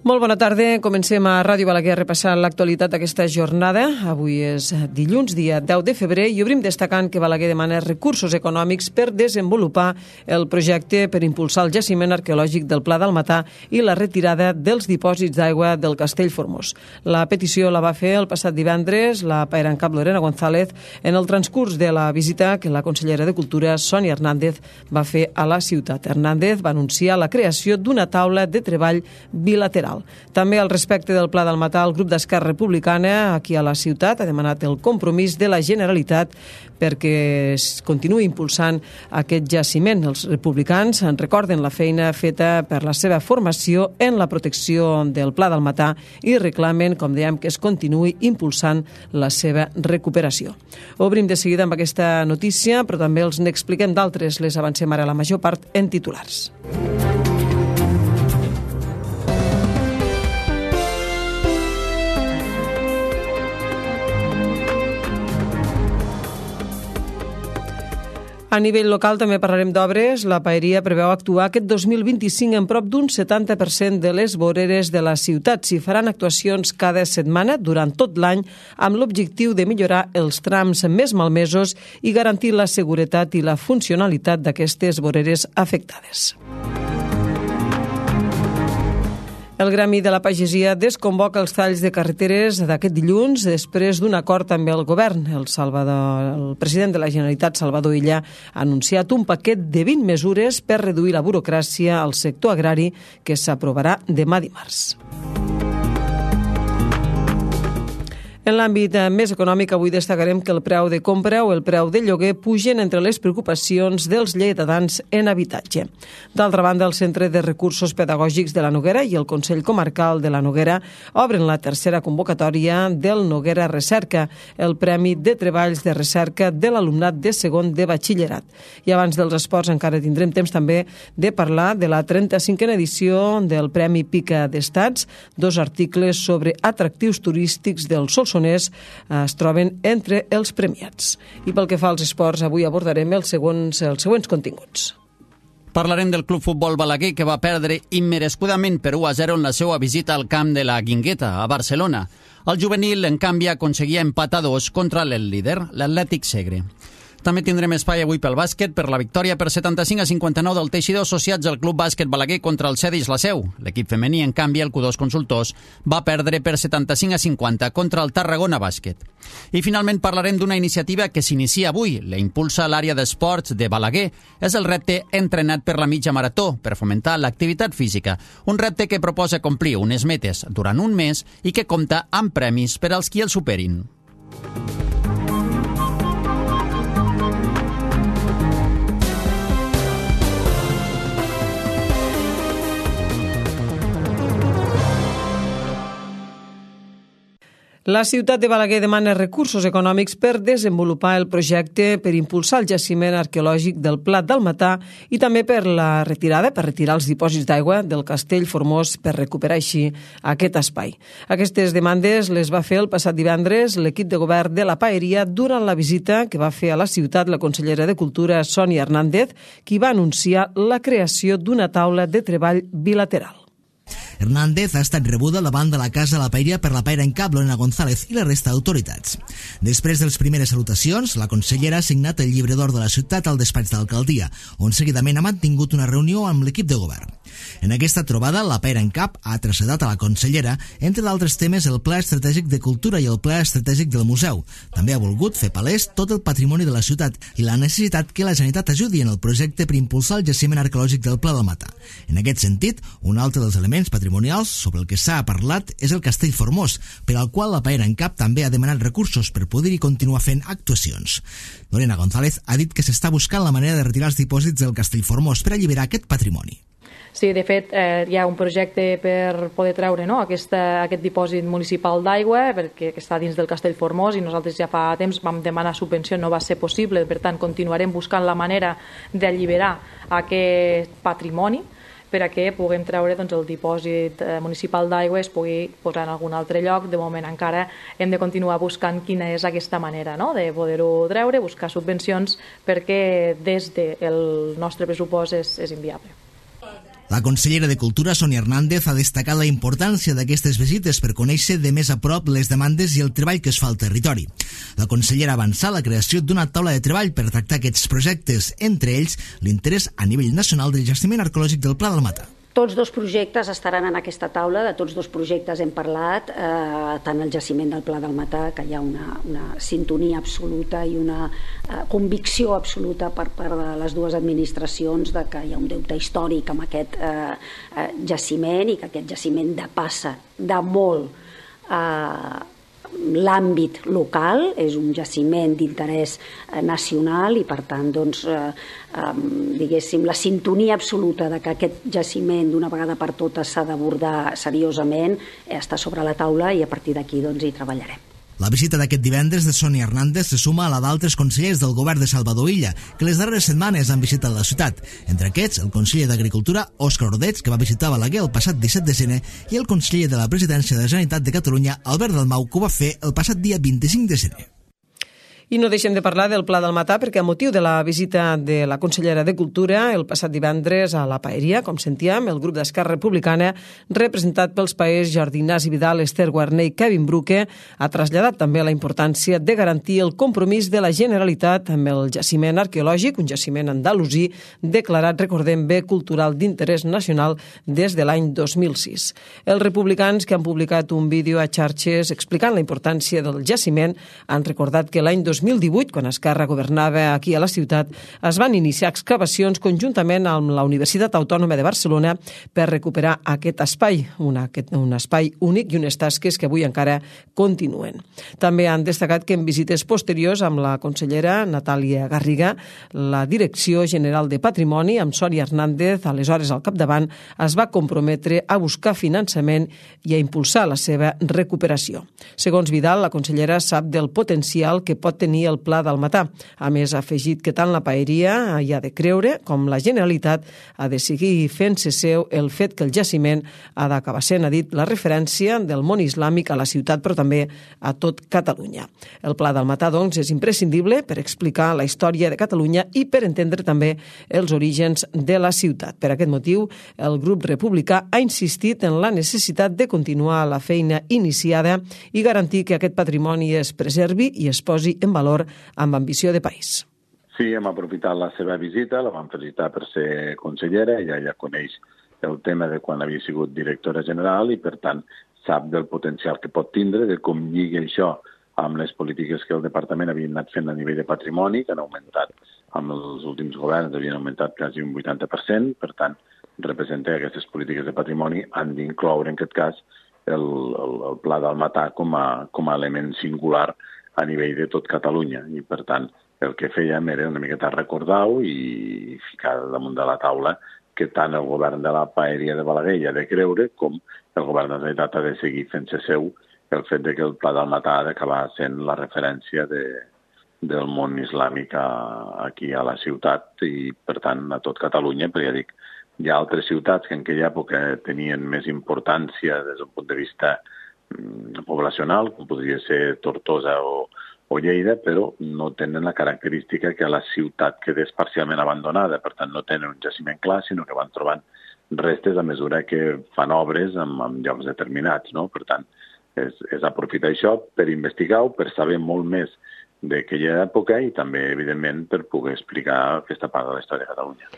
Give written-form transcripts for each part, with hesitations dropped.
Molt bona tarda. Comencem a Ràdio Balaguer repassant l'actualitat d'aquesta jornada. Avui és dilluns, dia 10 de febrer, i obrim destacant que Balaguer demana recursos econòmics per desenvolupar el projecte per impulsar el jaciment arqueològic del Pla d'Almatà i la retirada dels dipòsits d'aigua del Castell Formós. La petició la va fer el passat divendres la paera en cap Lorena González en el transcurs de la visita que la consellera de Cultura, Sònia Hernández, va fer a la ciutat. Hernández va anunciar la creació d'una taula de treball bilateral. També al respecte del Pla d'Almatà, el grup d'Esquerra Republicana aquí a la ciutat ha demanat el compromís de la Generalitat perquè es continuï impulsant aquest jaciment. Els republicans en recorden la feina feta per la seva formació en la protecció del Pla d'Almatà i reclamen, com dèiem, que es continuï impulsant la seva recuperació. Obrim de seguida amb aquesta notícia, però també els n'expliquem d'altres. Les avancem ara la major part en titulars. A nivell local també parlarem d'obres. La paeria preveu actuar aquest 2025 en prop d'un 70% de les voreres de la ciutat. S'hi faran actuacions cada setmana durant tot l'any amb l'objectiu de millorar els trams més malmesos i garantir la seguretat i la funcionalitat d'aquestes voreres afectades. El Gremi de la Pagesia desconvoca els talls de carreteres d'aquest dilluns després d'un acord amb el govern. El president de la Generalitat, Salvador Illa, ha anunciat un paquet de 20 mesures per reduir la burocràcia al sector agrari que s'aprovarà demà dimarts. En l'àmbit més econòmic, avui destacarem que el preu de compra o el preu de lloguer pugen entre les preocupacions dels lleidatans en habitatge. D'altra banda, el Centre de Recursos Pedagògics de la Noguera i el Consell Comarcal de la Noguera obren la tercera convocatòria del Noguera Recerca, el Premi de Treballs de Recerca de l'alumnat de segon de batxillerat. I abans dels esports encara tindrem temps també de parlar de la 35a edició del Premi Pica d'Estats. Dos articles sobre atractius turístics del Solsonès es troben entre els premiats. I pel que fa als esports, avui abordarem els següents continguts. Parlarem del Club Futbol Balaguer, que va perdre immerescudament per 1-0 en la seva visita al camp de la Guingueta, a Barcelona. El juvenil, en canvi, aconseguia empatar 2 contra el líder, l'Atlètic Segre. També tindrem espai avui pel bàsquet per la victòria per 75-59 del Teixidor Associats al Club Bàsquet Balaguer contra el Cedis La Seu. L'equip femení, en canvi, el Q2 Consultors, va perdre per 75-50 contra el Tarragona Bàsquet. I finalment parlarem d'una iniciativa que s'inicia avui. La impulsa l'àrea d'esports de Balaguer. És el repte Entrenat per la mitja marató, per fomentar l'activitat física. Un repte que proposa complir unes metes durant un mes i que compta amb premis per als qui el superin. La ciutat de Balaguer demana recursos econòmics per desenvolupar el projecte per impulsar el jaciment arqueològic del Plat d'Almatà i també per retirar els dipòsits d'aigua del Castell Formós per recuperar així aquest espai. Aquestes demandes les va fer el passat divendres l'equip de govern de la paeria durant la visita que va fer a la ciutat la consellera de Cultura, Sònia Hernández, qui va anunciar la creació d'una taula de treball bilateral. Hernández ha estat rebuda davant de la Casa de la Paeria per la paera en cap Lorena González i la resta d'autoritats. Després de les primeres salutacions, la consellera ha signat el llibre d'or de la ciutat al despatx d'alcaldia, on seguidament ha mantingut una reunió amb l'equip de govern. En aquesta trobada, la paera en cap ha traslladat a la consellera, entre d'altres temes, el Pla Estratègic de Cultura i el Pla Estratègic del Museu. També ha volgut fer palès tot el patrimoni de la ciutat i la necessitat que la Generalitat ajudi en el projecte per impulsar el jaciment arqueològic del Pla d'Almatà. En aquest sentit, un altre dels elements patrimonials sobre el que s'ha parlat és el Castell Formós, per al qual la paera en cap també ha demanat recursos per poder-hi continuar fent actuacions. Lorena González ha dit que s'està buscant la manera de retirar els dipòsits del Castell Formós per alliberar aquest patrimoni. Sí, de fet, hi ha un projecte per poder treure aquest dipòsit municipal d'aigua perquè està dins del Castell Formós i nosaltres ja fa temps vam demanar subvenció, no va ser possible, per tant continuarem buscant la manera d'alliberar aquest patrimoni per a que puguem treure el dipòsit municipal d'aigua es pugui posar en algun altre lloc. De moment encara hem de continuar buscant quina és aquesta manera de poder-ho treure, buscar subvencions, perquè des del nostre pressupost és inviable. La consellera de Cultura, Sonia Hernández, ha destacat la importància d'aquestes visites per conèixer de més a prop les demandes i el treball que es fa al territori. La consellera avança la creació d'una taula de treball per tractar aquests projectes, entre ells l'interès a nivell nacional del jaciment arqueològic del Pla del Mata. Tots dos projectes estaran en aquesta taula, de tots dos projectes hem parlat, tant el jaciment del Pla del Mata, que hi ha una sintonia absoluta i una convicció absoluta per part de les dues administracions de que hi ha un deute històric amb aquest jaciment i que aquest jaciment depassa de molt l'àmbit local, és un jaciment d'interès nacional i per tant diguéssim la sintonia absoluta de que aquest jaciment d'una vegada per totes s'ha d'abordar seriosament està sobre la taula i a partir d'aquí hi treballarem. La visita d'aquest divendres de Sonia Hernández se suma a la d'altres consellers del govern de Salvador Illa, que les darreres setmanes han visitat la ciutat. Entre aquests, el conseller d'Agricultura, Òscar Ordets, que va visitar Balaguer el passat 17 de gener, i el conseller de la Presidència de la Generalitat de Catalunya, Albert Dalmau, que ho va fer el passat dia 25 de gener. I no deixem de parlar del Pla del Mata perquè a motiu de la visita de la consellera de Cultura el passat divendres a la Paeria, com sentíem, el grup d'Esquerra Republicana, representat pels paers Jordi Ignasi Vidal, Esther Guarner i Kevin Bruque, ha traslladat també la importància de garantir el compromís de la Generalitat amb el jaciment arqueològic, un jaciment andalusí declarat, recordem, bé cultural d'interès nacional des de l'any 2006. Els republicans que han publicat un vídeo a xarxes explicant la importància del jaciment han recordat que l'any 2018, quan Esquerra governava aquí a la ciutat, es van iniciar excavacions conjuntament amb la Universitat Autònoma de Barcelona per recuperar aquest espai, un espai únic i unes tasques que avui encara continuen. També han destacat que en visites posteriors amb la consellera Natàlia Garriga, la Direcció General de Patrimoni, amb Sonia Hernández, aleshores al capdavant, es va comprometre a buscar finançament i a impulsar la seva recuperació. Segons Vidal, la consellera sap del potencial que pot tenir el Pla del Mata. A més, ha afegit que tant la Paeria hi ha de creure com la Generalitat ha de seguir fent-se seu el fet que el jaciment ha d'acabar sent, ha dit, la referència del món islàmic a la ciutat, però també a tot Catalunya. El Pla del Mata, doncs, és imprescindible per explicar la història de Catalunya i per entendre també els orígens de la ciutat. Per aquest motiu, el grup republicà ha insistit en la necessitat de continuar la feina iniciada i garantir que aquest patrimoni es preservi i es posi en valor amb ambició de país. Sí, hem aprofitat la seva visita, la vam felicitar per ser consellera, ella ja coneix el tema de quan havia sigut directora general i, per tant, sap del potencial que pot tindre, de com lliga això amb les polítiques que el departament havia anat fent a nivell de patrimoni, que han augmentat amb els últims governs, havien augmentat quasi un 80%, per tant, representa que aquestes polítiques de patrimoni han d'incloure, en aquest cas, el Pla del Mata com a element singular a nivell de tot Catalunya. I, per tant, el que fèiem era una miqueta recordar-ho i ficar damunt de la taula que tant el govern de la Paeria de Balaguer hi ha de creure com el govern de la Generalitat ha de seguir fent-se seu el fet de que el Pla del Mata ha d'acabar sent la referència del món islàmic aquí a la ciutat i, per tant, a tot Catalunya, perquè ja dic, hi ha altres ciutats que en aquella època tenien més importància des d'un punt de vista poblacional, com podria ser Tortosa o Lleida, però no tenen la característica que la ciutat quedés parcialment abandonada, per tant no tenen un jaciment clar, sinó que van trobant restes a mesura que fan obres en llocs determinats, no? Per tant, és aprofitar això per investigar-ho, per saber molt més d'aquella època i també, evidentment, per poder explicar aquesta part de la història de Catalunya.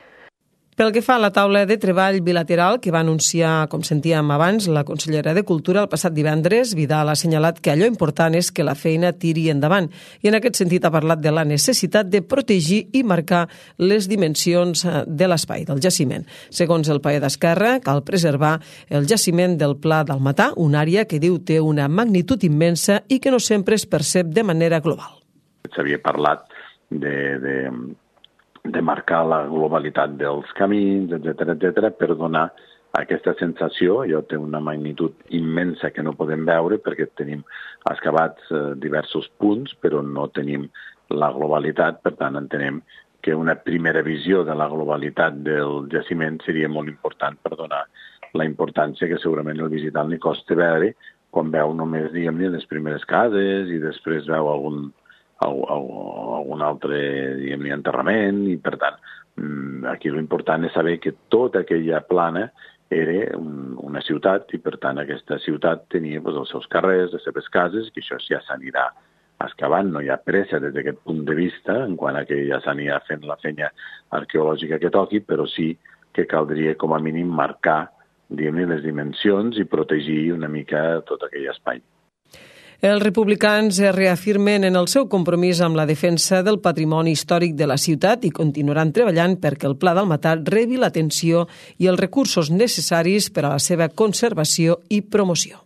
Pel que fa a la taula de treball bilateral que va anunciar, com sentíem abans, la consellera de Cultura el passat divendres, Vidal ha assenyalat que allò important és que la feina tiri endavant i en aquest sentit ha parlat de la necessitat de protegir i marcar les dimensions de l'espai, del jaciment. Segons el paer d'Esquerra, cal preservar el jaciment del Pla del Mata, una àrea que diu té una magnitud immensa i que no sempre es percep de manera global. S'havia parlat de marcar la globalitat dels camins, etc., per donar aquesta sensació. Allò té una magnitud immensa que no podem veure perquè tenim excavats diversos punts, però no tenim la globalitat. Per tant, entenem que una primera visió de la globalitat del jaciment seria molt important per donar la importància que segurament el visitant li costa veure quan veu només, diguem-ne, les primeres cases i després veu algun altre, diguem-ne, enterrament i, per tant, Aquí l'important és saber que tota aquella plana era una ciutat i, per tant, aquesta ciutat tenia els seus carrers, les seves cases, que això ja s'anirà excavant, no hi ha pressa des d'aquest punt de vista, en quant a que ja s'anirà fent la feina arqueològica que toqui, però sí que caldria com a mínim marcar, diguem-ne, les dimensions i protegir una mica tot aquell espai. Els republicans es reafirmen en el seu compromís amb la defensa del patrimoni històric de la ciutat i continuaran treballant perquè el Pla Dàlmata rebi l'atenció i els recursos necessaris per a la seva conservació i promoció.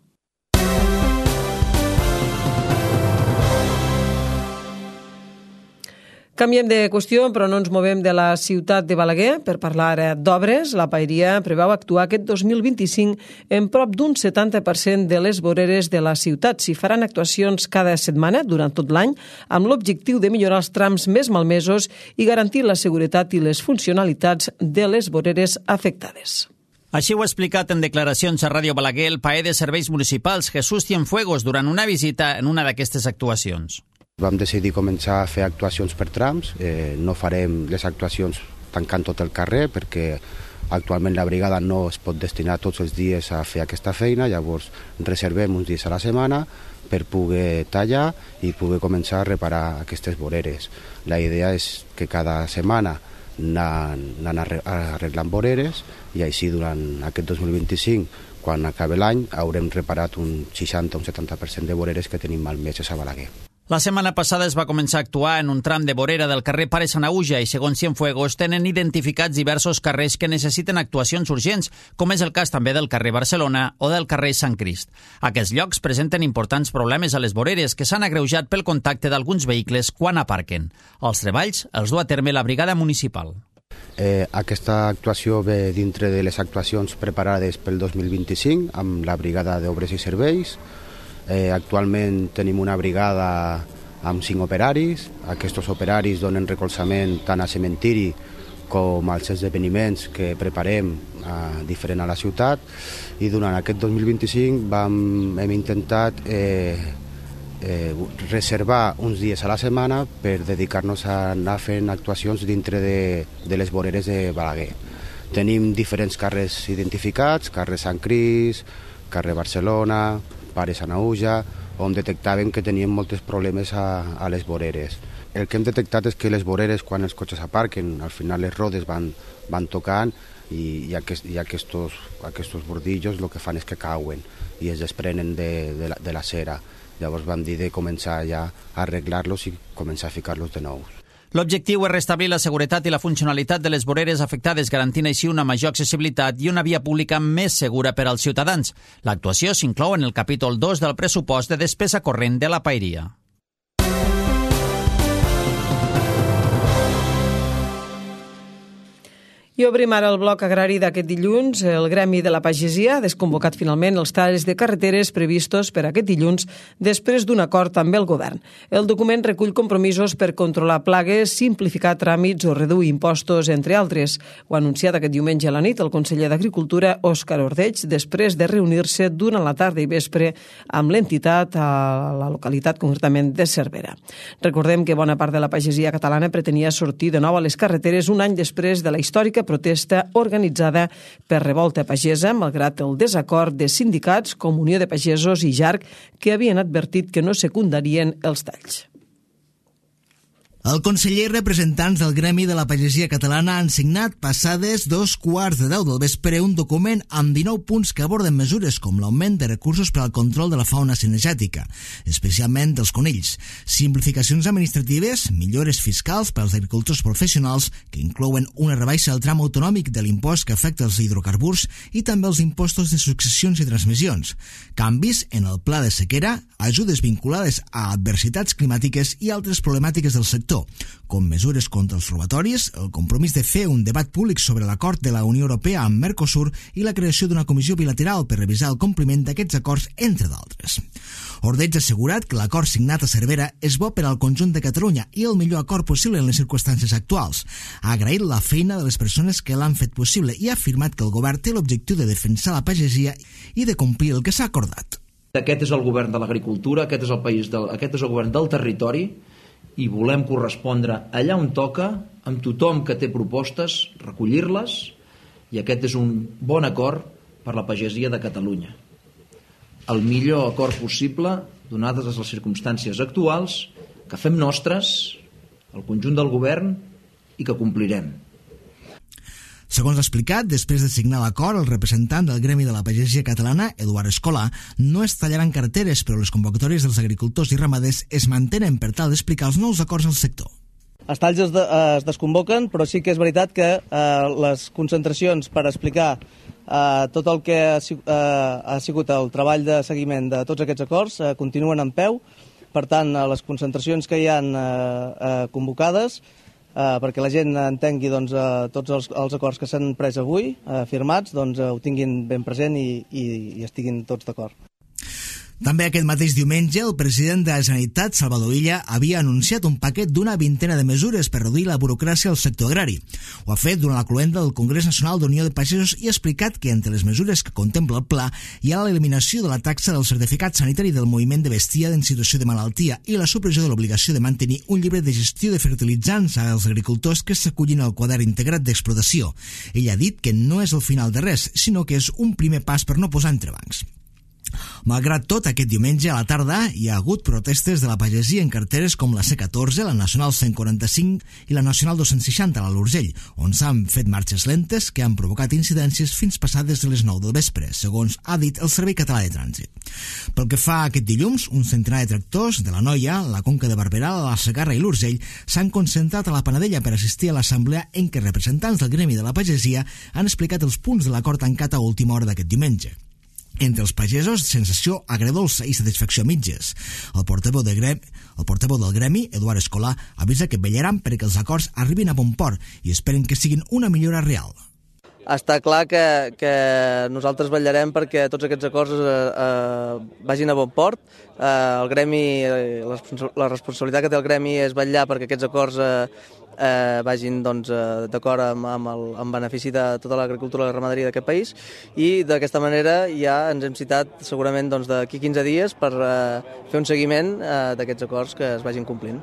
Canviem de qüestió, però no ens movem de la ciutat de Balaguer. Per parlar d'obres, la Paeria preveu actuar aquest 2025 en prop d'un 70% de les voreres de la ciutat. S'hi faran actuacions cada setmana durant tot l'any amb l'objectiu de millorar els trams més malmesos i garantir la seguretat i les funcionalitats de les voreres afectades. Així ho ha explicat en declaracions a Ràdio Balaguer el paer de Serveis Municipals Jesús Cienfuegos durant una visita en una d'aquestes actuacions. Vam decidir començar a fer actuacions per trams, no farem les actuacions tancant tot el carrer perquè actualment la brigada no es pot destinar tots els dies a fer aquesta feina, llavors reservem uns dies a la setmana per poder tallar i poder començar a reparar aquestes voreres. La idea és que cada setmana anant arreglant voreres i així durant aquest 2025, quan acabi l'any, haurem reparat un 60 o un 70% de voreres que tenim malmeses a Balaguer. La setmana passada es va començar a actuar en un tram de vorera del carrer Pare Sanaüja i, segons Cienfuegos, tenen identificats diversos carrers que necessiten actuacions urgents, com és el cas també del carrer Barcelona o del carrer Sant Crist. Aquests llocs presenten importants problemes a les voreres que s'han agreujat pel contacte d'alguns vehicles quan aparquen. Els treballs els du a terme la brigada municipal. Aquesta actuació ve dintre de les actuacions preparades pel 2025 amb la brigada d'obres i serveis. Actualment tenim una brigada amb 5 operaris. Aquests operaris donen recolzament tant a cementiri com als esdeveniments que preparem diferent a la ciutat i durant aquest 2025 hem intentat reservar uns dies a la setmana per dedicar-nos a anar fent actuacions dintre de les voreres de Balaguer. Tenim diferents carrers identificats, carrer Sant Crist, carrer Barcelona, Pare Sanaüja, on detectàvem que teníem molts problemes a les voreres. El que hem detectat és que les voreres, quan els cotxes aparquen, al final les rodes van tocant i aquests bordillos el que fan és que cauen i es desprenen de la cera. Llavors vam dir de començar ja a arreglar-los i començar a ficar-los de nou. L'objectiu és restablir la seguretat i la funcionalitat de les voreres afectades, garantint així una major accessibilitat i una via pública més segura per als ciutadans. L'actuació s'inclou en el capítol 2 del pressupost de despesa corrent de la Paeria. I obrim ara el bloc agrari d'aquest dilluns. El Gremi de la Pagesia ha desconvocat finalment els talls de carreteres previstos per aquest dilluns després d'un acord amb el govern. El document recull compromisos per controlar plagues, simplificar tràmits o reduir impostos, entre altres. Ho ha anunciat aquest diumenge a la nit el conseller d'Agricultura, Òscar Ordeig, després de reunir-se durant la tarda i vespre amb l'entitat a la localitat concretament de Cervera. Recordem que bona part de la pagesia catalana pretenia sortir de nou a les carreteres un any després de la històrica protesta organitzada per Revolta Pagesa, malgrat el desacord de sindicats com Unió de Pagesos i JARC, que havien advertit que no secundarien els talls. El conseller i representants del Gremi de la Pagesia Catalana han signat passades 2:15 del vespre un document amb 19 punts que aborden mesures com l'augment de recursos per al control de la fauna cinegètica, especialment dels conills, simplificacions administratives, millores fiscals per als agricultors professionals que inclouen una rebaixa del tram autonòmic de l'impost que afecta els hidrocarburs i també els impostos de successions i transmissions, canvis en el pla de sequera, ajudes vinculades a adversitats climàtiques i altres problemàtiques del sector, com mesures contra els robatoris, el compromís de fer un debat públic sobre l'acord de la Unió Europea amb Mercosur i la creació d'una comissió bilateral per revisar el compliment d'aquests acords, entre d'altres. Ordeig ha assegurat que l'acord signat a Cervera és bo per al conjunt de Catalunya i el millor acord possible en les circumstàncies actuals. Ha agraït la feina de les persones que l'han fet possible i ha afirmat que el govern té l'objectiu de defensar la pagesia i de complir el que s'ha acordat. Aquest és el govern de l'agricultura, aquest és el govern del territori i volem correspondre allà on toca, amb tothom que té propostes, recollir-les, i aquest és un bon acord per la pagesia de Catalunya. El millor acord possible, donades les circumstàncies actuals, que fem nostres, el conjunt del govern, i que complirem. Segons ha explicat, després de signar l'acord, el representant del Gremi de la Pagesia Catalana, Eduard Escolà, no es tallaran carteres, però les convocatòries dels agricultors i ramaders es mantenen per tal d'explicar els nous acords al sector. Els talls es desconvoquen, però sí que és veritat que les concentracions per explicar tot el que ha sigut el treball de seguiment de tots aquests acords continuen en peu. Per tant, les concentracions que hi han convocades, perquè la gent entengui tots els acords que s'han pres avui, firmats, ho tinguin ben present i estiguin tots d'acord. També aquest mateix diumenge, el president de la Generalitat, Salvador Illa, havia anunciat un paquet d'una vintena de mesures per reduir la burocràcia al sector agrari. Ho ha fet durant la cloenda del Congrés Nacional d'Unió de Pagesos i ha explicat que entre les mesures que contempla el pla hi ha l'eliminació de la taxa del certificat sanitari del moviment de bestiar en situació de malaltia i la supressió de l'obligació de mantenir un llibre de gestió de fertilitzants als agricultors que s'acullin al quadern integrat d'explotació. Ell ha dit que no és el final de res, sinó que és un primer pas per no posar entrebancs. Malgrat tot, aquest diumenge a la tarda hi ha hagut protestes de la pagesia en carteres com la C14, la Nacional 145 i la Nacional 260 a l'Urgell, on s'han fet marxes lentes que han provocat incidències fins passades de les 9 del vespre, segons ha dit el Servei Català de Trànsit. Pel que fa a aquest dilluns, un centenar de tractors de la Noia, la Conca de Barberà, la Segarra i l'Urgell s'han concentrat a la Panadella per assistir a l'assemblea en què representants del Gremi de la Pagesia han explicat els punts de l'acord tancat a última hora d'aquest diumenge. Entre els pagesos, sensació agredolça i satisfacció a mitges. El portaveu del Gremi, Eduard Escolà, avisa que vetllaran perquè els acords arribin a bon port i esperen que siguin una millora real. Està clar que nosaltres vetllarem perquè tots aquests acords vagin a bon port. El Gremi, la responsabilitat que té el Gremi és vetllar perquè aquests acords vagin d'acord amb benefici de tota l'agricultura i la ramaderia d'aquest país, i d'aquesta manera ja ens hem citat segurament d'aquí 15 dies per fer un seguiment d'aquests acords que es vagin complint.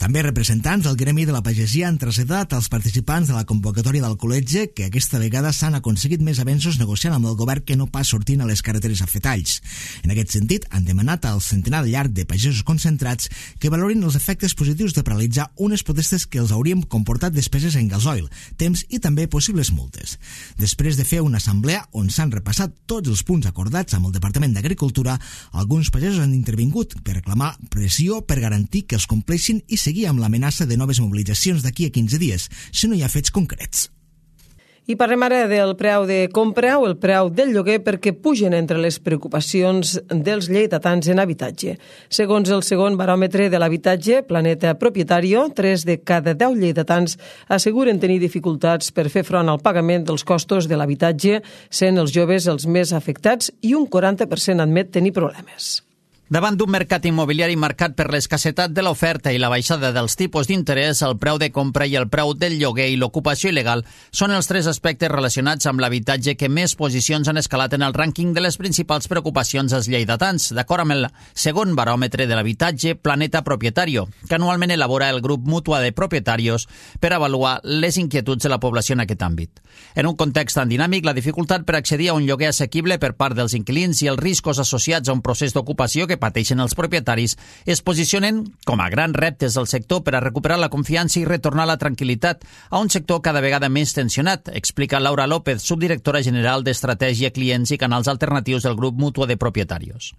També representants del Gremi de la Pagesia han traslladat als participants de la convocatòria del col·legi que aquesta vegada s'han aconseguit més avenços negociant amb el govern que no pas sortint a les carreteres a fer talls. En aquest sentit, han demanat al centenar llarg de pagesos concentrats que valorin els efectes positius de paralitzar unes protestes que els haurien comportat despeses en gasoil, temps i també possibles multes. Després de fer una assemblea on s'han repassat tots els punts acordats amb el Departament d'Agricultura, alguns pagesos han intervingut per reclamar pressió per garantir que els compleixin i seguir amb l'amenaça de noves mobilitzacions d'aquí a 15 dies, si no hi ha fets concrets. I parlem ara del preu de compra o el preu del lloguer perquè pugen entre les preocupacions dels lleidatans en habitatge. Segons el segon baròmetre de l'habitatge, Planeta Propietario, 3 de cada 10 lleidatans asseguren tenir dificultats per fer front al pagament dels costos de l'habitatge, sent els joves els més afectats i un 40% admet tenir problemes. Davant d'un mercat immobiliari marcat per l'escassetat de l'oferta i la baixada dels tipus d'interès, el preu de compra i el preu del lloguer i l'ocupació il·legal són els 3 aspectes relacionats amb l'habitatge que més posicions han escalat en el rànquing de les principals preocupacions als lleidatans, d'acord amb el segon baròmetre de l'habitatge Planeta Propietario, que anualment elabora el grup Mútua de Propietarios per avaluar les inquietuds de la població en aquest àmbit. En un context tan dinàmic, la dificultat per accedir a un lloguer assequible per part dels inquilins i els riscos associats a un procés d'ocupació que pateixen els propietaris es posicionen com a grans reptes del sector per a recuperar la confiança i retornar la tranquil·litat a un sector cada vegada més tensionat, explica Laura López, subdirectora general d'Estratègia, Clients i Canals Alternatius del grup Mútua de Propietarios.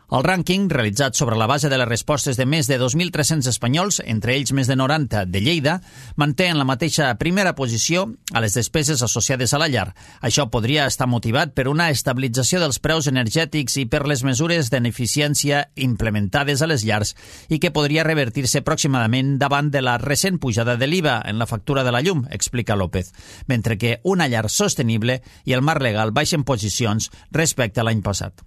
El rànquing, realitzat sobre la base de les respostes de més de 2.300 espanyols, entre ells més de 90 de Lleida, manté en la mateixa primera posició a les despeses associades a la llar. Això podria estar motivat per una estabilització dels preus energètics i per les mesures d'eficiència implementades a les llars i que podria revertir-se pròximament davant de la recent pujada de l'IVA en la factura de la llum, explica López, mentre que una llar sostenible i el marc legal baixen posicions respecte a l'any passat.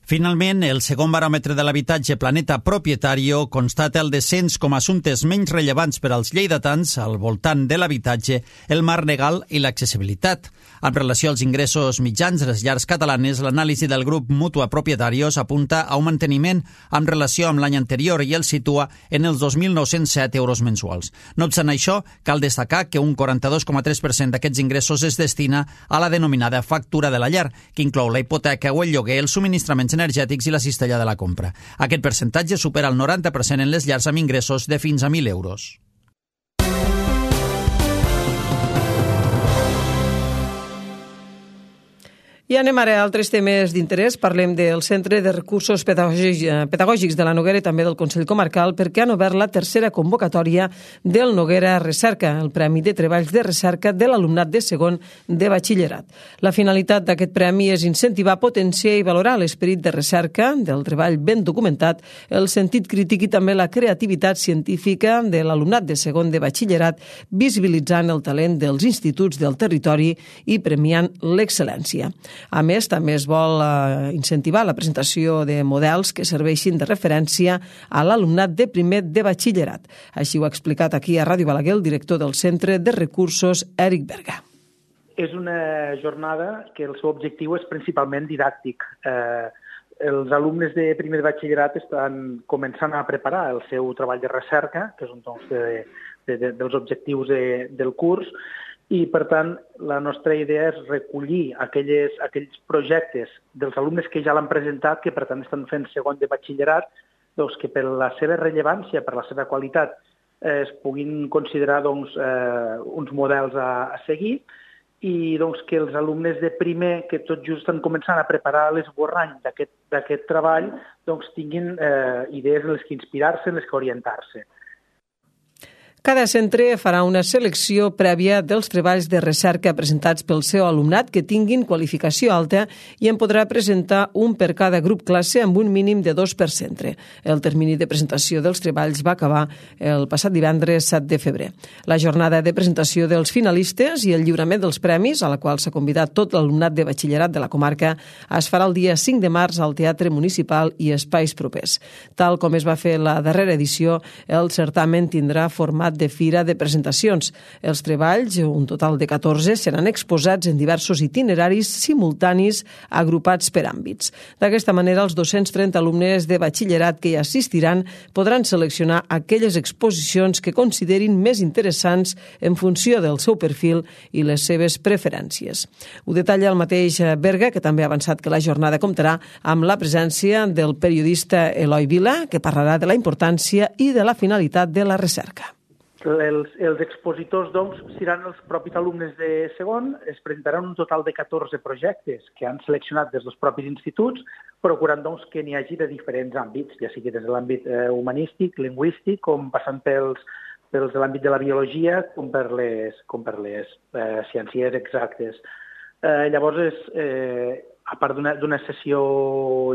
Finalment, el segon baròmetre de l'habitatge Planeta Propietario constata el descens com a assumptes menys rellevants per als lleidatans al voltant de l'habitatge, el marc legal i l'accessibilitat. En relació als ingressos mitjans de les llars catalanes, l'anàlisi del grup Mutua Propietarios apunta a un manteniment en relació amb l'any anterior i el situa en els 2.907 euros mensuals. No obstant això, cal destacar que un 42,3% d'aquests ingressos es destina a la denominada factura de la llar, que inclou la hipoteca o el lloguer, els subministraments energètics i la cistella de la compra. Aquest percentatge supera el 90% en les llars amb ingressos de fins a 1.000 euros. I anem ara a altres temes d'interès. Parlem del Centre de Recursos Pedagògics de la Noguera i també del Consell Comarcal, perquè han obert la tercera convocatòria del Noguera Recerca, el Premi de Treballs de Recerca de l'alumnat de segon de batxillerat. La finalitat d'aquest premi és incentivar, potenciar i valorar l'esperit de recerca, del treball ben documentat, el sentit crític i també la creativitat científica de l'alumnat de segon de batxillerat, visibilitzant el talent dels instituts del territori i premiant l'excel·lència. A més, també es vol incentivar la presentació de models que serveixin de referència a l'alumnat de primer de batxillerat. Així ho ha explicat aquí a Ràdio Balaguer el director del Centre de Recursos, Eric Berga. És una jornada que el seu objectiu és principalment didàctic. Els alumnes de primer de batxillerat estan començant a preparar el seu treball de recerca, que és un dels objectius del curs, i, per tant, la nostra idea és recollir aquells projectes dels alumnes que ja l'han presentat, que, per tant, estan fent segon de batxillerat, doncs, que per la seva rellevància, per la seva qualitat, es puguin considerar uns models a seguir i que els alumnes de primer, que tot just estan començant a preparar l'esborrany d'aquest treball, tinguin idees en les que inspirar-se, en les que orientar-se. Cada centre farà una selecció prèvia dels treballs de recerca presentats pel seu alumnat que tinguin qualificació alta i en podrà presentar un per cada grup classe amb un mínim de 2 per centre. El termini de presentació dels treballs va acabar el passat divendres 7 de febrer. La jornada de presentació dels finalistes i el lliurament dels premis, a la qual s'ha convidat tot l'alumnat de batxillerat de la comarca, es farà el dia 5 de març al Teatre Municipal i espais propers. Tal com es va fer la darrera edició, el certamen tindrà format de fira de presentacions. Els treballs, un total de 14, seran exposats en diversos itineraris simultanis agrupats per àmbits. D'aquesta manera, els 230 alumnes de batxillerat que hi assistiran podran seleccionar aquelles exposicions que considerin més interessants en funció del seu perfil i les seves preferències. Ho detalla el mateix Berga, que també ha avançat que la jornada comptarà amb la presència del periodista Eloi Vila, que parlarà de la importància i de la finalitat de la recerca. Els expositors, seran els propis alumnes de segon. Es presentaran un total de 14 projectes que han seleccionat des dels propis instituts, procurant que n'hi hagi de diferents àmbits, ja sigui des de l'àmbit humanístic, lingüístic, com passant pels de l'àmbit de la biologia, com per les ciències exactes. Llavors, a part d'una sessió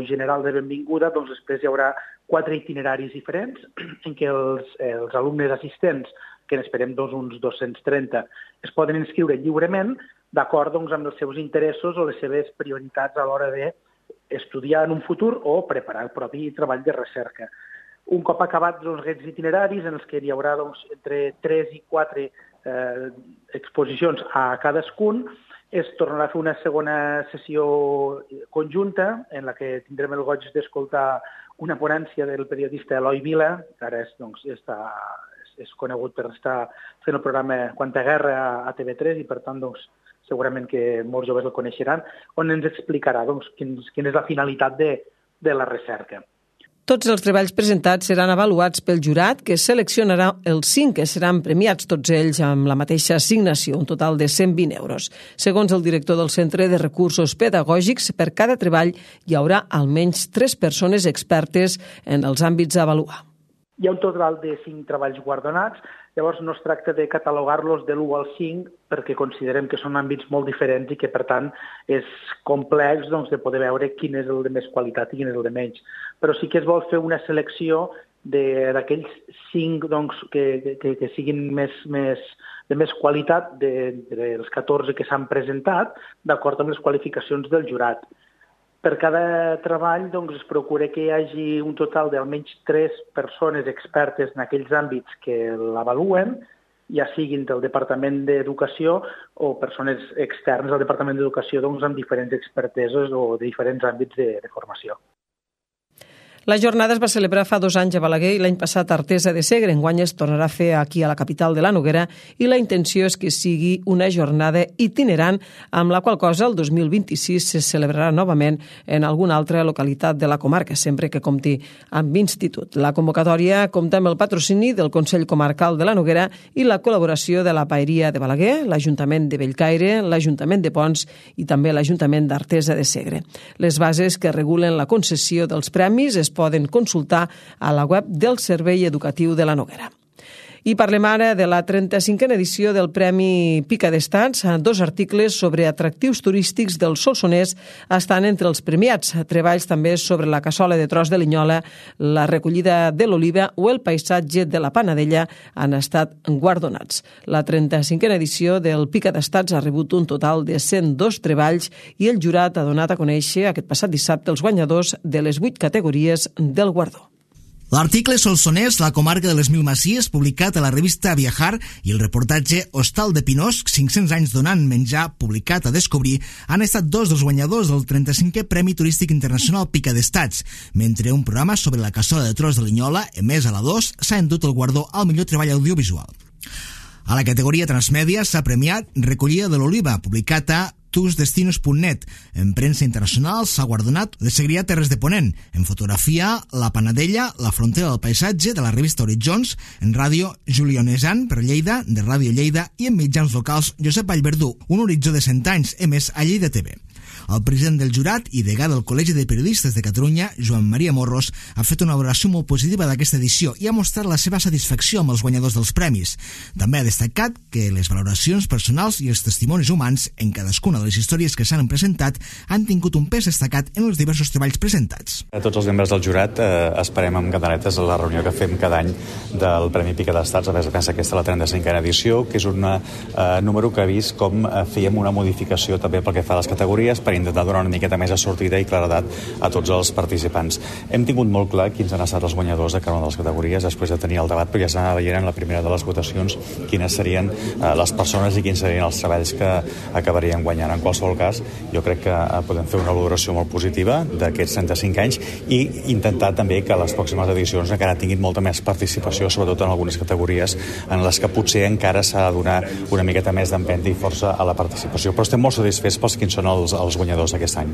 general de benvinguda, després hi haurà 4 itineraris diferents en què els alumnes assistents, que n'esperem uns 230, es poden inscriure lliurement d'acord amb els seus interessos o les seves prioritats a l'hora d'estudiar en un futur o preparar el propi treball de recerca. Un cop acabats aquests itineraris, en els que hi haurà entre 3 i 4 exposicions a cadascun, es tornarà a fer una segona sessió conjunta en la que tindrem el goig d'escoltar una ponència del periodista Eloi Vila, que ara és conegut per estar fent el programa Quanta Guerra a TV3 i, per tant, segurament que molts joves el coneixeran, on ens explicarà quina és la finalitat de la recerca. Tots els treballs presentats seran avaluats pel jurat, que seleccionarà els 5 que seran premiats, tots ells amb la mateixa assignació, un total de 120 euros. Segons el director del Centre de Recursos Pedagògics, per cada treball hi haurà almenys 3 persones expertes en els àmbits a avaluar. Hi ha un total de 5 treballs guardonats, llavors no es tracta de catalogar-los de l'1 al 5 perquè considerem que són àmbits molt diferents i que, per tant, és complex de poder veure quin és el de més qualitat i quin és el de menys. Però sí que es vol fer una selecció d'aquells 5 que siguin de més qualitat dels 14 que s'han presentat, d'acord amb les qualificacions del jurat. Per cada treball es procura que hi hagi un total d'almenys 3 persones expertes en aquells àmbits que l'avaluen, ja siguin del Departament d'Educació o persones externes al Departament d'Educació amb diferents experteses o de diferents àmbits de formació. La jornada es va celebrar fa 2 anys a Balaguer i l'any passat a Artesa de Segre. Enguany es tornarà a fer aquí a la capital de la Noguera i la intenció és que sigui una jornada itinerant, amb la qual cosa el 2026 se celebrarà novament en alguna altra localitat de la comarca, sempre que compti amb institut. La convocatòria compta amb el patrocini del Consell Comarcal de la Noguera i la col·laboració de la Paeria de Balaguer, l'Ajuntament de Bellcaire, l'Ajuntament de Pons i també l'Ajuntament d'Artesa de Segre. Les bases que regulen la concessió dels premis es poden consultar a la web del Servei Educatiu de la Noguera. I parlem ara de la 35a edició del Premi Pica d'Estats. 2 articles sobre atractius turístics del Solsonès estan entre els premiats. Treballs també sobre la cassola de tros de Linyola, la recollida de l'oliva o el paisatge de la Panadella han estat guardonats. La 35a edició del Pica d'Estats ha rebut un total de 102 treballs i el jurat ha donat a conèixer aquest passat dissabte els guanyadors de les 8 categories del guardó. L'article Solsonès, la comarca de les Mil Masies, publicat a la revista Viajar, i el reportatge Hostal de Pinós, 500 anys donant menjar, publicat a Descobrir, han estat 2 dels guanyadors del 35è Premi Turístic Internacional Pica d'Estats, mentre un programa sobre la cassola de tros de Linyola, emès a la 2, s'ha endut el guardó al millor treball audiovisual. A la categoria transmèdia s'ha premiat Recollida de l'oliva, publicat a tusdestinos.net. En premsa internacional s'ha guardonat Les Segrià Terres de Ponent. En fotografia, La Panadella, La frontera del paisatge, de la revista Horitzons. En ràdio, Julionesan, per Lleida, de Ràdio Lleida. I en mitjans locals, Josep Vallverdú, Un horitzó de 100 anys, emès a Lleida TV. El president del jurat i degà del Col·legi de Periodistes de Catalunya, Joan Maria Morros, ha fet una valoració molt positiva d'aquesta edició i ha mostrat la seva satisfacció amb els guanyadors dels premis. També ha destacat que les valoracions personals i els testimonis humans en cadascuna de les històries que s'han presentat han tingut un pes destacat en els diversos treballs presentats. A tots els membres del jurat esperem amb candanetes la reunió que fem cada any del Premi Pica d'Estats, a més pensa aquesta la 35a edició, que és un número que ha vist com fèiem una modificació també pel que fa a les categories per intentar donar una miqueta més de sortida i claredat a tots els participants. Hem tingut molt clar quins han estat els guanyadors de cada una de les categories després de tenir el debat, però ja s'anava veient en la primera de les votacions quines serien les persones i quins serien els treballs que acabarien guanyant. En qualsevol cas, jo crec que podem fer una valoració molt positiva d'aquests 35 anys i intentar també que les pròximes edicions encara tinguin molta més participació, sobretot en algunes categories en les que potser encara s'ha de donar una miqueta més d'empenta i força a la participació. Però estem molt satisfets pels quins són els guanyadors d'aquest any.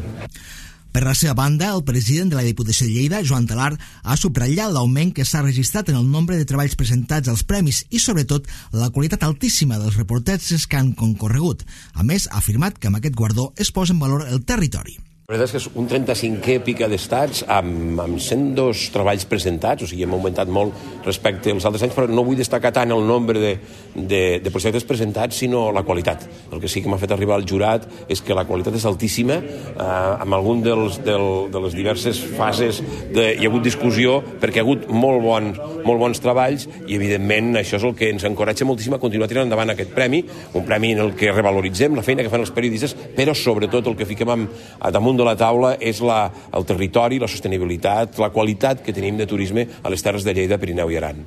Per la seva banda, el president de la Diputació de Lleida, Joan Talar, ha subratllat l'augment que s'ha registrat en el nombre de treballs presentats als premis i, sobretot, la qualitat altíssima dels reportatges que han concorregut. A més, ha afirmat que amb aquest guardó es posa en valor el territori. La veritat és que és un 35è Pica d'Estats amb 102 treballs presentats, o sigui, hem augmentat molt respecte als altres anys, però no vull destacar tant el nombre de projectes presentats, sinó la qualitat. El que sí que m'ha fet arribar al jurat és que la qualitat és altíssima, amb algun de les diverses fases hi ha hagut discussió perquè hi ha hagut molt bons treballs i, evidentment, això és el que ens encoratja moltíssim a continuar tirant endavant aquest premi, un premi en el que revaloritzem la feina que fan els periodistes, però sobretot el que fiquem damunt de la taula és el territori, la sostenibilitat, la qualitat que tenim de turisme a les terres de Lleida, Pirineu i Aran.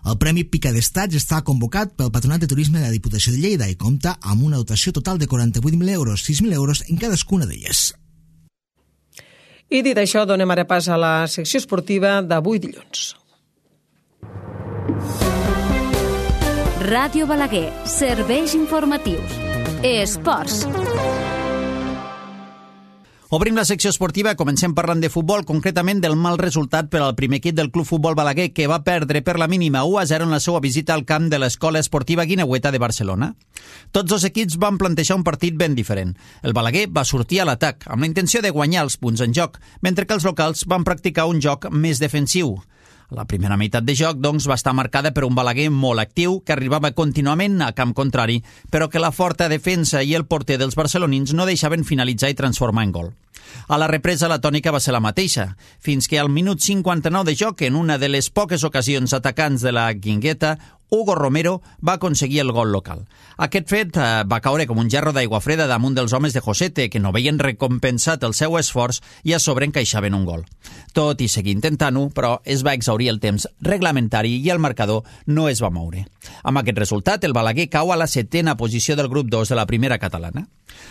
El Premi Pica d'Estats està convocat pel Patronat de Turisme de la Diputació de Lleida i compta amb una dotació total de 48.000 euros, 6.000 euros en cadascuna d'elles. I dit això, donem ara pas a la secció esportiva d'avui dilluns. Ràdio Balaguer, serveis informatius. Esports. Obrim la secció esportiva, comencem parlant de futbol, concretament del mal resultat per al primer equip del Club Futbol Balaguer, que va perdre per la mínima 1-0 en la seva visita al camp de l'Escola Esportiva Guineueta de Barcelona. Tots dos equips van plantejar un partit ben diferent. El Balaguer va sortir a l'atac, amb la intenció de guanyar els punts en joc, mentre que els locals van practicar un joc més defensiu. La primera meitat de joc, doncs, va estar marcada per un Balaguer molt actiu, que arribava contínuament a camp contrari, però que la forta defensa i el porter dels barcelonins no deixaven finalitzar i transformar en gol. A la represa la tònica va ser la mateixa, fins que al minut 59 de joc, en una de les poques ocasions atacants de la Guingueta, Hugo Romero va aconseguir el gol local. Aquest fet va caure com un gerro d'aigua freda damunt dels homes de Josete, que no veien recompensat el seu esforç i a sobre encaixaven un gol. Tot i seguir intentant-ho, però es va exhaurir el temps reglamentari i el marcador no es va moure. Amb aquest resultat, el Balaguer cau a la 7ª posició del grup 2 de la primera catalana.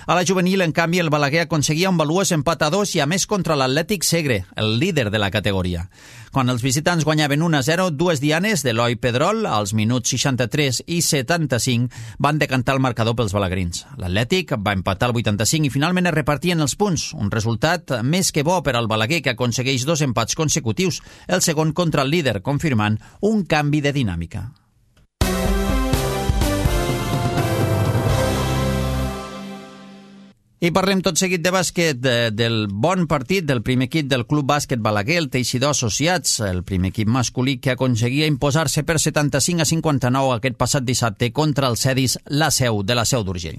A la juvenil, en canvi, el Balaguer aconseguia un valuós empat a 2 i a més contra l'Atlètic Segre, el líder de la categoria. Quan els visitants guanyaven 1-0, dues dianes d'Eloi Pedrol, als minuts 63 i 75, van decantar el marcador pels balagrins. L'Atlètic va empatar el 85 i finalment es repartien els punts, un resultat més que bo per al Balaguer, que aconsegueix 2 empats consecutius, el segon contra el líder, confirmant un canvi de dinàmica. I parlem tot seguit de bàsquet, del bon partit del primer equip del Club Bàsquet Balaguer, el Teixidor Associats, el primer equip masculí que aconseguia imposar-se per 75-59 aquest passat dissabte contra el Cedis La Seu, de la Seu d'Urgell.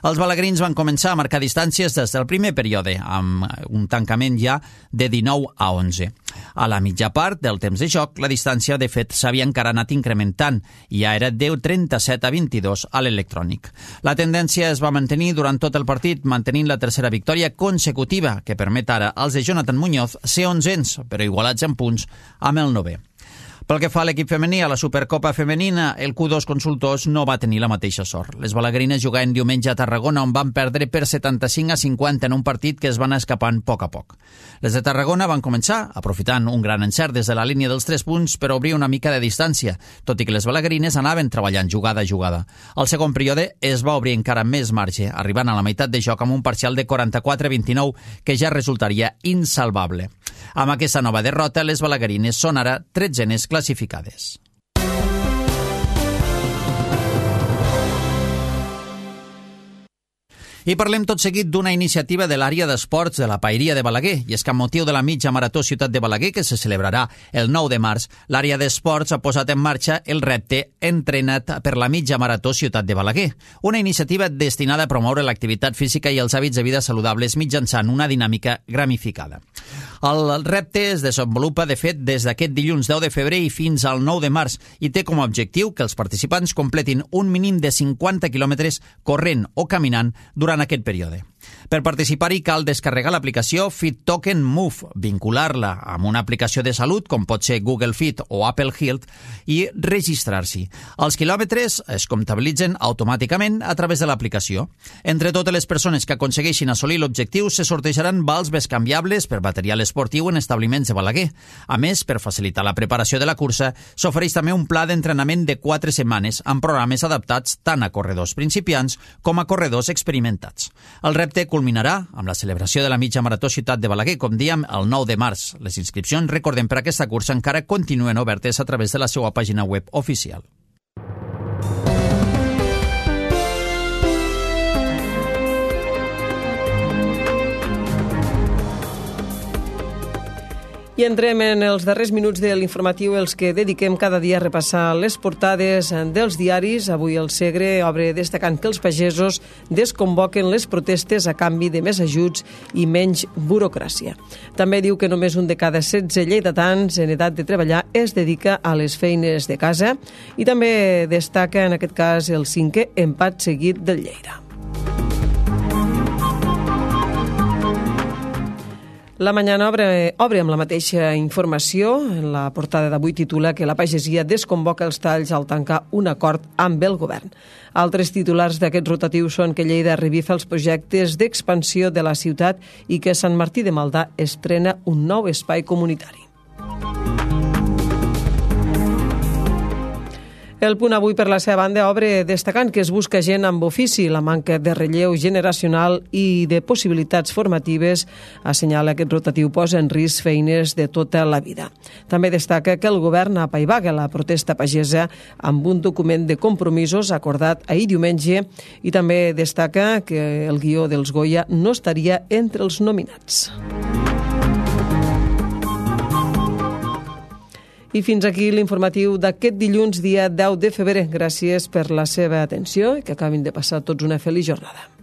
Els balagrins van començar a marcar distàncies des del primer període, amb un tancament ja de 19-11. A la mitja part del temps de joc, la distància, de fet, s'havia encara anat incrementant i ja era de 37-22 a l'electrònic. La tendència es va mantenir durant tot el partit, mantenint la tercera victòria consecutiva, que permet ara als de Jonathan Muñoz ser 11ens, però igualats en punts amb el 9è. Pel que fa a l'equip femení, a la Supercopa Femenina, el Q2 Consultors no va tenir la mateixa sort. Les balagrines jugaven diumenge a Tarragona, on van perdre per 75-50 en un partit que es van escapant a poc. Les de Tarragona van començar, aprofitant un gran encert des de la línia dels 3 punts per obrir una mica de distància, tot i que les balagrines anaven treballant jugada a jugada. Al segon període es va obrir encara més marge, arribant a la meitat de joc amb un parcial de 44-29 que ja resultaria insalvable. Amb aquesta nova derrota, les balagrines són ara 13enes classificades. I parlem tot seguit d'una iniciativa de l'àrea d'esports de la Paeria de Balaguer, i és que amb motiu de la mitja marató Ciutat de Balaguer, que se celebrarà el 9 de març, l'àrea d'esports ha posat en marxa el repte Entrena't per la mitja marató Ciutat de Balaguer, una iniciativa destinada a promoure l'activitat física i els hàbits de vida saludables mitjançant una dinàmica gramificada. El repte es desenvolupa, de fet, des d'aquest dilluns 10 de febrer i fins al 9 de març i té com a objectiu que els participants completin un mínim de 50 quilòmetres corrent o caminant durant aquest període. Per participar-hi cal descarregar l'aplicació Fit Token Move, vincular-la amb una aplicació de salut com pot ser Google Fit o Apple Health i registrar-s'hi. Els quilòmetres es comptabilitzen automàticament a través de l'aplicació. Entre totes les persones que aconsegueixin assolir l'objectiu se sortejaran vals bescanviables per material esportiu en establiments de Balaguer. A més, per facilitar la preparació de la cursa, s'ofereix també un pla d'entrenament de 4 setmanes amb programes adaptats tant a corredors principiants com a corredors experimentats. El repte culminarà amb la celebració de la mitja marató Ciutat de Balaguer, com dèiem, el 9 de març. Les inscripcions, recordem, per aquesta cursa encara continuen obertes a través de la seva pàgina web oficial. I entrem en els darrers minuts de l'informatiu, els que dediquem cada dia a repassar les portades dels diaris. Avui el Segre obre destacant que els pagesos desconvoquen les protestes a canvi de més ajuts i menys burocràcia. També diu que només un de cada 16 lleidatans en edat de treballar es dedica a les feines de casa i també destaca en aquest cas el 5è empat seguit del Lleida. La Mañana obre amb la mateixa informació. En la portada d'avui titula que la pagesia desconvoca els talls al tancar un acord amb el govern. Altres titulars d'aquest rotatiu són que Lleida revifa els projectes d'expansió de la ciutat i que Sant Martí de Maldà estrena un nou espai comunitari. El Punt Avui, per la seva banda, obre destacant que es busca gent amb ofici. La manca de relleu generacional i de possibilitats formatives, assenyala aquest rotatiu, posa en risc feines de tota la vida. També destaca que el govern apaivaga la protesta pagesa amb un document de compromisos acordat ahir diumenge i també destaca que el guió dels Goya no estaria entre els nominats. I fins aquí l'informatiu d'aquest dilluns, dia 10 de febrer. Gràcies per la seva atenció i que acabin de passar tots una feliç jornada.